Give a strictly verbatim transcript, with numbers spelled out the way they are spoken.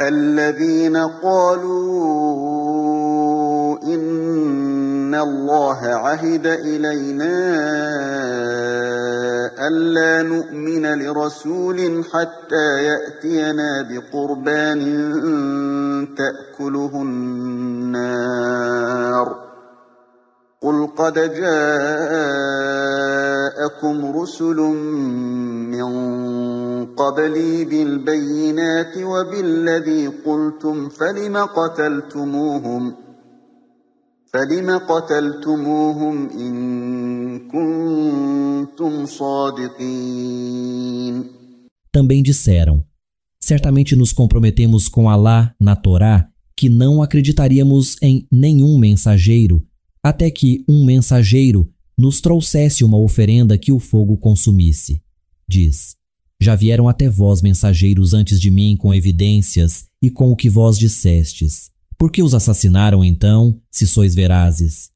الذين قالوا إن الله عهد إلينا ألا نؤمن لرسول حتى يأتينا بقربان تأكله النار قل قد جاءكم رسل من قبلي بالبينات وبالذي قلتم فلم قتلتموهم فلم قتلتموهم إن كنتم صادقين. Também disseram: certamente nos comprometemos com Alá na Torá que não acreditaríamos em nenhum mensageiro até que um mensageiro nos trouxesse uma oferenda que o fogo consumisse. Diz: já vieram até vós mensageiros antes de mim com evidências e com o que vós dissestes. Por que os assassinaram então, se sois verazes?